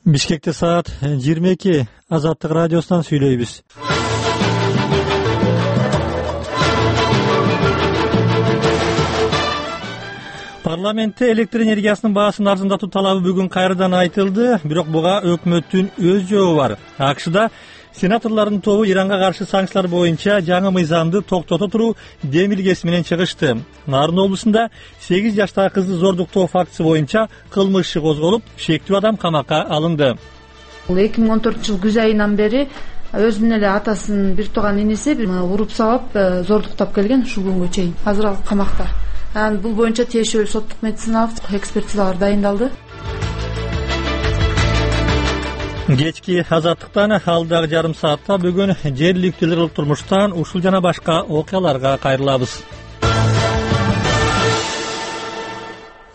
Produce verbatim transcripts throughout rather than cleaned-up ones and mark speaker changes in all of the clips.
Speaker 1: Бишкекте саат жыйырма эки. Азаттык радиосунан сүйлөйбүз. Парламентте электр энергиясынын баасын арзандатуу талабы бүгүн кайрадан айтылды, бирок буга өкмөттүн өз жообу бар. АКШда сенаторлордун тобу Иранга каршы санкциялар боюнча жаңы мыйзамды токтото туруу демилгеси менен чыгышты. Нарын облусунда сегиз жаштагы кызды зордуктоо фактысы боюнча кылмыш иши козголуп, шектүү адам камакка алынды.
Speaker 2: Бул эки миң он төртүнчү жыл күз айынан бери өзүнүн эле атасын бир тууган иниси уруп сабап зордуктап келген ушул күнгө чейин. Азыр ал камакта. Анан бул боюнча тиешелүү соттук медициналык экспертизалар дайындалды.
Speaker 1: Кечки азаттыктан алдагы жарым саатта бүгүн жергиликтүү кылык турмуштан ушул жана башка окуяларга кайрылабыз.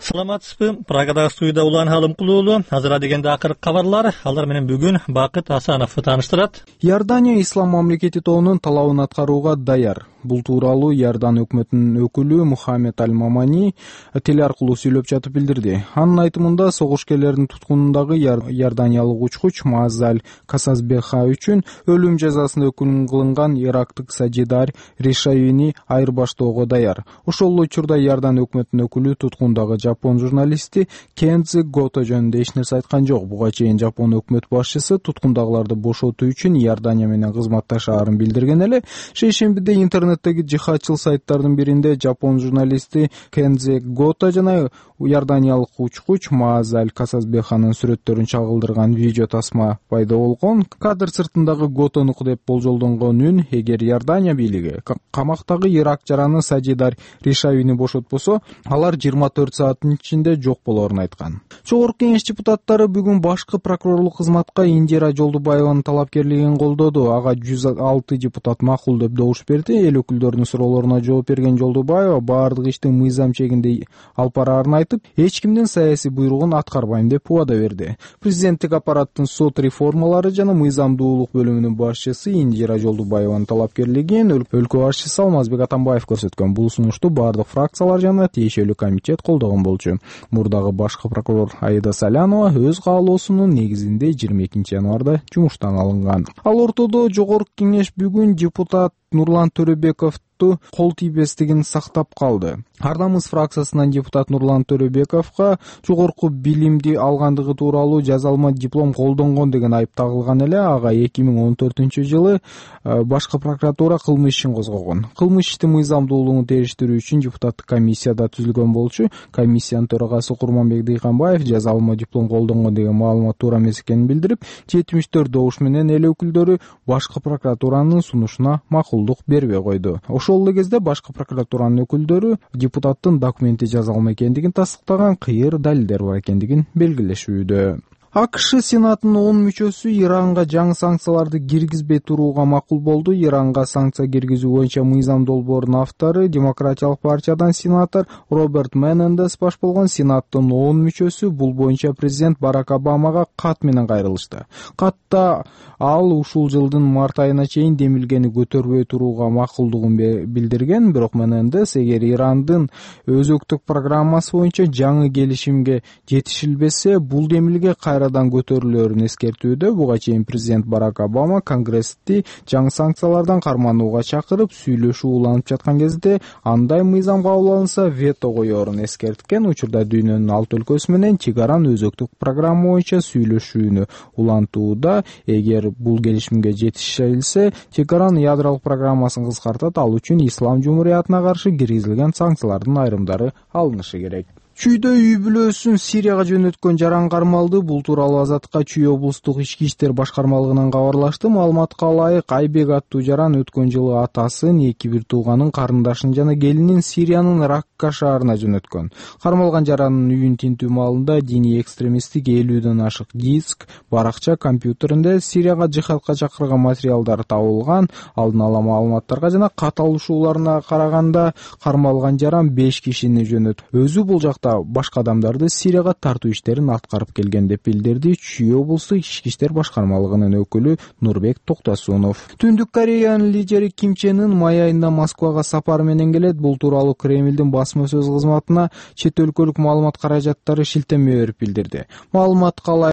Speaker 1: Саламатсызбы? Прагадагы студияда Улан Алымкулуулу. Азыр дегенде акыркы кабарлар. Алар менен бүгүн Бакыт Асанов тааныштырат.
Speaker 3: Иордания ислам мамлекети тобунун талабын аткарууга даяр. Бул тууралуу Иордан өкмөтүнүн өкүлү Мухаммед Аль-Мамани теле аркылуу сүйлөп жатып билдирди. Анын айтымында согушкерлердин туткунундагы иорданиялык учкуч Мазаль Касасбеха үчүн өлүм жазасына өкүм кылынган ирактык Саджидар Ришавини айырбаштоого даяр. Ошол учурда Иордан өкмөтүнүн өкүлү туткундагы жапон журналисти Кензи Гото жөнүндө эч нерсе айткан жок. Буга чейин жапон өкмөт башчысы туткундагыларды бошотуу үчүн Иордания менен кызматташаарын билдирген эле. Шейшембиде интернет интернеттеги жихадчыл сайттардын биринде жапон журналисти Кензи Гото жана иорданиялык учкуч Мазаль Касасбеханын сүрөттөрүн чагылдырган видео тасма пайда болгон. Кадр сыртындагы Готонуку деп болжолдонгон үн эгер Иордания бийлиги камактагы Ирак жараны Саджидар Ришавини бошотпосо, алар жыйырма төрт сааттын ичинде жок болоорун айткан. Жогорку кеңеш депутаттары бүгүн башкы прокурорлук кызматка Индира Жолдубаеванын талапкерлигин колдоду. Ага жүз алты депутат макул деп добуш берди. Эл өкүлдөрүнүн суроолоруна жооп берген Жолдубаева баардык ишти мыйзам чегинде алып бараарын айтып, эч кимдин саясий буйругун аткарбайм деп убада берди. Президенттик аппараттын сот реформалары жана мыйзамдуулук бөлүмүнүн башчысы Индира Жолдубаеванын талапкерлигин өлкө башчысы Алмазбек Атамбаев көрсөткөн. Бул сунушту баардык фракциялар жана тиешелүү комитет колдогон болчу. Мурдагы башкы прокурор Аида Салянова өз каалоосунун негизинде жыйырма экинчи январда жумуштан алынган. Ал ортодо жогорку кеңеш бүгүн депутат Нурлан Төрөбековду кол тийбестигин сактап калды. Ар намыс фракциясынан депутат Нурлан Төрөбековго жогорку билимди алгандыгы тууралуу жазалма диплом колдонгон деген айып тагылган эле. Ага эки миң он төртүнчү жылы башкы прокуратура кылмыш ишин козгогон. Кылмыш ишти мыйзамдуулугун териштирүү үчүн депутаттык комиссия да түзүлгөн болчу. Комиссиянын төрагасы Курманбек Дыйканбаев жазалма диплом колдонгон деген маалымат туура эмес экенин билдирип, жетимиш төрт добуш менен эл өкүлдөрү башкы прокуратуранын сунушуна макулдук бербей койду. Ошол эле кезде башкы прокуратуранын өкүлдөрү депутаттын документи жазалма экендигин тастыктаган кыйыр далилдер бар экендигин белгилешүүдө. АКШ Сенатынын он мүчөсү Иранга жаңы санкцияларды киргизбей турууга макул болду. Иранга санкция киргизүү боюнча мыйзам долбоорунун автору Демократиялык партиядан сенатор Роберт Менендес баш болгон Сенаттын он мүчөсү бул боюнча президент Барак Обамага кат менен кайрылышты. Катта ал ушул жылдын март айына чейин демилгени көтөрбөй турууга макулдугун билдирген, бирок Менендес эгер Ирандын өзөктүк программасы боюнча жаңы келишимге жетишилбесе, бул демилге кайрадан көтөрүлөөрүн эскертүүдө. Буга чейин президент Барак Обама Конгрессти жаңы санкциялардан карманууга чакырып, сүйлөшүү уланып жаткан кезде андай мыйзам кабыл алынса вето коёрун эскерткен. Учурда дүйнөнүн алты өлкөсү менен чегаран өзөктүк программа боюнча сүйлөшүүнү улантууда. Эгер бул келишимге жетишилсе, чегаран ядролук программасын кыскартат. Ал үчүн ислам жумуриятына каршы киргизилген санкциялардын айрымдары алынышы керек. Чүйдө үй бүлөсүн Сирияга жөнөткөн жаран кармалды. Бул тууралуу Азаттыкка Чүй облустук ички иштер башкармалыгынан кабарлашты. Маалыматка ылайык, Айбек аттуу жаран өткөн жылы атасын, эки бир тууганын, карындашын жана келинин Сириянын Ракка шаарына жөнөткөн. Кармалган жарандын үйүн тинтүү маалында диний экстремисттик элүүдөн ашык диск, баракча, компьютеринде Сирияга жихадка чакырган материалдар табылган. Алдын ала маалыматтарга жана кат алышууларына караганда кармалган жаран беш кишини жөнөтүп, өзү бул жакта башка адамдарды Сирияга тартуу иштерин аткарып келген деп билдирди Чүй облустук ички иштер башкармалыгынын өкүлү Нурбек Токтосунов. Түндүк Кореянын лидери Ким Чен Ын май айында Москвага сапар менен келет. Бул тууралуу Кремлдин басма сөз кызматына чет өлкөлүк маалымат каражаттары шилтеме берип билдирди. Маалыматка